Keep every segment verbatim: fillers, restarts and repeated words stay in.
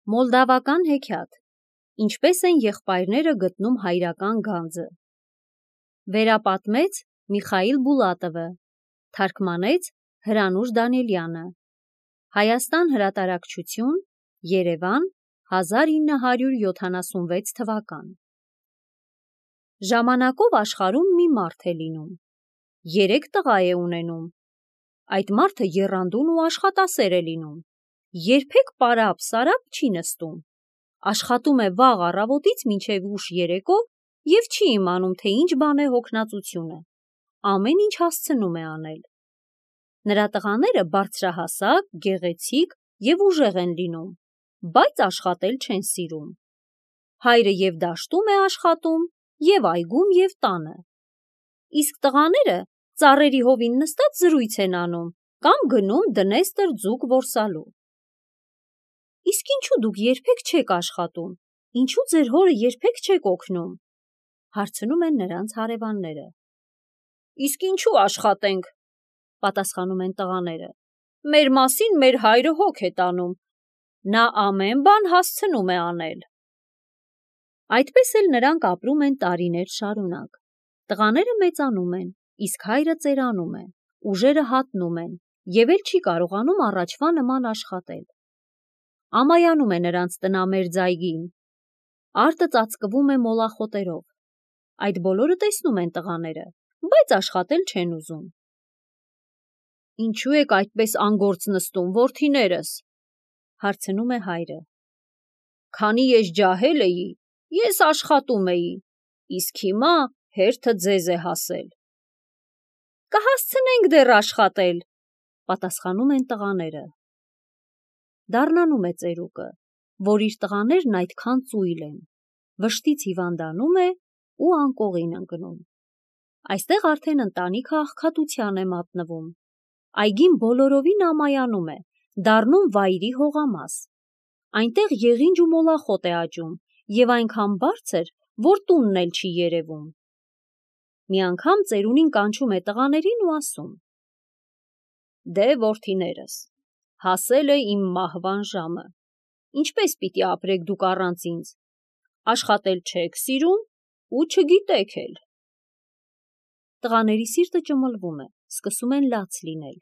Մոլդավական հեքիաթ. Ինչպես են եղբայրները գտնում հայրական գանձը։ Վերապատմեց Միխայիլ Բուլատովը, թարգմանեց Հրանուշ Դանիելյանը։ Հայաստան հրատարակչություն, Երևան, հազար ինը հարյուր յոթանասունվեց թվական։ Ժամանակով աշխարհում մի մարդ է լինում։ Երեք տղա է ունենում։ Այդ մարդը եռանդուն ու աշխատասեր է լինում։ Երբեք պարապ-սարապ չի նստում։ Աշխատում է վաղ առավոտից մինչև ուշ երեկո և չի իմանում, թե ինչ բան է հոգնածությունը։ Ամեն ինչ հասցնում է անել։ Նրա տղաները բարձրահասակ, գեղեցիկ և ուժեղ են լինում, բայց աշխատել չեն սիրում։ Հայրը և դաշտում է աշխատում, և այգում, և տանը։ Իսկ տղաները ծառերի հովին նստած զրույց են անում կամ գնում դնեստր ձուկ որսալու։ Իսկ ինչու դուք երբեք չեք աշխատում, ինչու ձեր հորը երբեք չեք օգնում, հարցնում են նրանց հարևանները։ Իսկ ինչու աշխատենք, պատասխանում են տղաները, մեր մասին մեր հայրը հոգ է տանում, նա ամեն բան հասցնում է անել։ Այդպես էլ նրանք ապրում են տարիներ շարունակ։ Տղաները մեծանում են, իսկ հայրը ծերանում է, ուժերը հատնում են և էլ չի կարողանում առաջվա նման աշխատել։ Ամայանում է նրանց տնամերձ այգին։ Արտը ծածկվում է մոլախոտերով։ Այդ բոլորը տեսնում են տղաները, բայց աշխատել չեն ուզում։ Ինչու եք այդպես անգործ նստում, որդիներս, հարցնում է հայրը։ Քանի ես ջահել էի, ես աշխատում էի, իսկ հիմա հերթը ձեզ է հասել։ Կհասցնենք դեռ աշխատել, պատասխանում են տղաները։ Դառնանում է ծերուկը, որ իր տղաներն այդքան ծույլ են, վշտից հիվանդանում է ու անկողին ընկնում։ Այստեղ արդեն ընտանիքը աղքատության է մատնվում։ Այգին բոլորովին ամայանում է, դառնում վայրի հողամաս։ Այնտեղ եղինջ ու մոլախոտ է աճում և այնքան բարձր, որ տունն էլ չի երևում։ Մի անգամ ծերունին կանչում է տղաներին ու ասում. Դե որդիներս, հասել է իմ մահվան ժամը։ Ինչպես պիտի ապրեք դուք առանց ինձ, աշխատել չեք սիրում ու չգիտեք էլ։ Տղաների սիրտը ճմլվում է, սկսում են լաց լինել։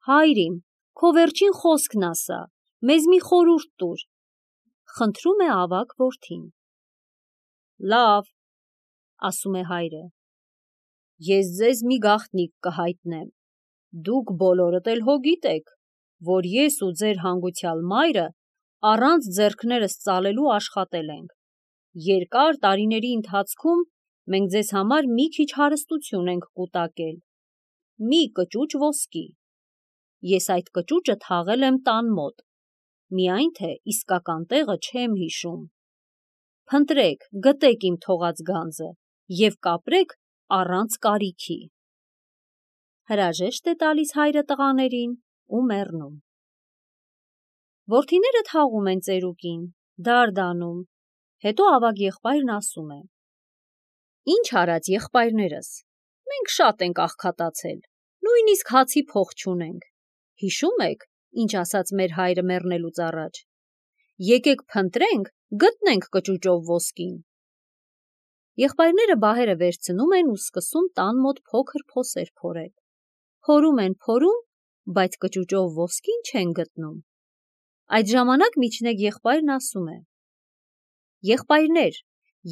Հայր իմ, քո վերջին խոսքն ասա, մեզ մի խորհուրդ տուր, խնդրում է ավագ որդին։ Լավ, ասում է հայրը, ես ձեզ մի գաղտնիք կհայտնեմ, դուք բոլորդ էլ հո գիտեք, որ ես ու ձեր հանգուցյալ մայրը առանց ձեռքներս ծալելու աշխատել ենք։ Երկար տարիների ընթացքում մենք ձեզ համար մի քիչ հարստություն ենք կուտակել, մի կճուճ ոսկի։ Ես այդ կճուճը թաղել եմ տան մոտ, միայն թե իսկական տեղը չեմ հիշում։ Փնտրեք, գտեք իմ թողած գանձը և կապրեք առանց կարիքի։ Հրաժեշտ է տալիս հայրը տղաներին ու մեռնում։ Որդիները թաղում են ծերուկին, դարդանում, հետո ավագ եղբայրն ասում է. Ինչ արած եղբայրներս, մենք շատ ենք աղքատացել, նույնիսկ հացի փող չունենք։ Հիշում եք, ինչ ասաց մեր հայրը մեռնելուց առաջ։ Եկեք փնտրենք, գտնենք կճուճով ոսկին։ Եղբայրները բահերը վերցնում են ու սկսում տան մոտ փոքր փոսեր փորել։ Փորում են, փորում, բայց կճուճով ոսկին չեն գտնում։ Այդ ժամանակ միջնեկ եղբայրն ասում է. Եղբայրներ,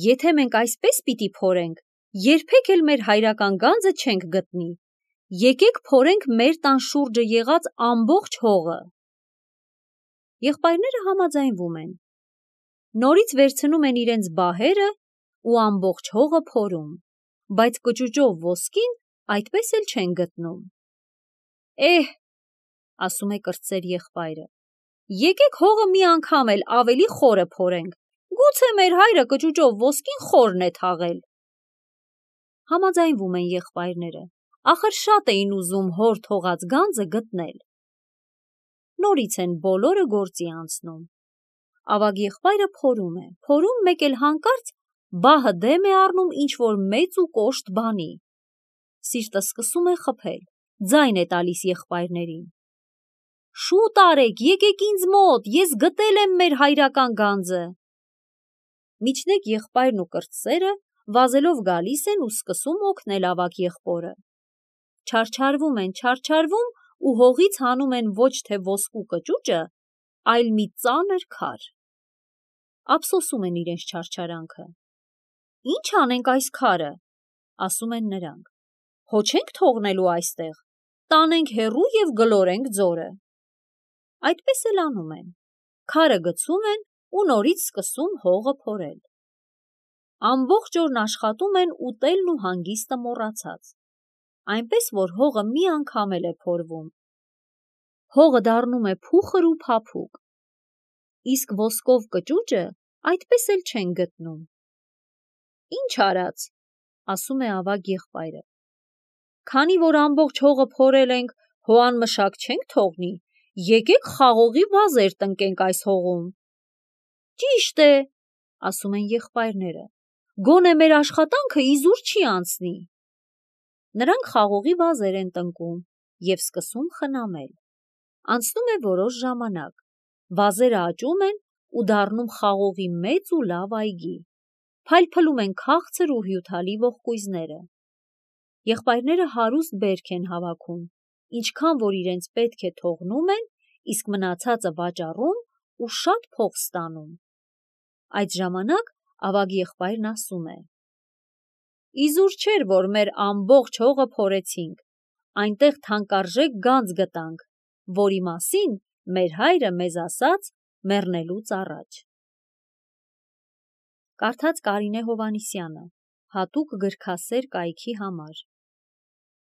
եթե մենք այսպես պիտի փորենք, երբեք էլ մեր հայրական գանձը չենք գտնի։ Եկեք փորենք մեր տան շուրջը եղած ամբողջ հողը։ Եղբայրները համաձայնվում են։ Նորից վերցնում են իրենց բահերը ու ամբողջ հողը փորում, բայց կճուճով ոսկին այդպես էլ չեն գտնում։ Էհ, ասում է կրտսեր եղբայրը, եկեք հողը մի անգամ էլ ավելի խորը փորենք, գուցե մեր հայրը կճուճով ոսկին խորն է թաղել։ Համաձայնվում են եղբայրները, ախր շատ էին ուզում հոր թողած գանձը գտնել։ Նորից են բոլորը գործի անցնում։ Ավագ եղբայրը փորում է, փորում, մեկ էլ հանկարծ բահը դեմ է առնում ինչ-որ մեծ ու կոշտ բանի։ Սիրտը սկսում է խփել, ձայն է տալիս եղբայրներին։ Շուտ արեք, եկեք ինձ մոտ, ես գտել եմ մեր հայրական գանձը։ Միջնեկ եղբայրն ու կրտսերը վազելով գալիս են ու սկսում օգնել ավագ եղբորը։ Չարչարվում են, չարչարվում ու հողից հանում են ոչ թե ոսկու կճուճը, այլ մի ծանր քար։ Ափսոսում են իրենց չարչարանքը։ Ինչ անենք այս քարը, ասում են նրանք։ Հո չենք թողնելու այստեղ, տանենք հեռու և գլորենք ձորը։ Այդպես էլ անում են, քարը գցում են ու նորից սկսում հողը փորել։ Ամբողջ օրն աշխատում են ուտելն ու հանգիստը մոռացած, այնպես որ հողը մի անգամ էլ է փորվում։ Հողը դառնում է փուխր ու փափուկ, իսկ ոսկով կճուճը այդպես էլ չեն գտնում։ Ինչ արած, ասում է ավագ եղբայրը, քանի որ ամբողջ հողը փորել ենք, հո անմշակ չենք թողնի, եկեք խաղողի վազեր տնկենք այս հողում։ Ճիշտ է, ասում են եղբայրները, գոնե մեր աշխատանքը իզուր չի անցնի։ Նրանք խաղողի վազեր են տնկում և սկսում խնամել։ Անցնում է որոշ ժամանակ, վազերը աճում են ու դառնում խաղողի մեծ ու լավ այգի, փայլփլում են քաղցր ու հյութալի ողկույզները։ Եղբայրները հարուստ բերք են հավաքում, ինչքան որ իրենց պետք է թողնում են, իսկ մնացածը վաճառում ու շատ փող ստանում։ Այդ ժամանակ ավագ եղբայրն ասում է. Իզուր չէր, որ մեր ամբողջ հողը փորեցինք, այնտեղ թանկարժեք գանձ գտանք, որի մասին մեր հայրը մեզ ասաց մեռնելուց առաջ։ Կարդաց Կարինե Հովհաննիսյանը, հատուկ գրքասեր կայքի համար։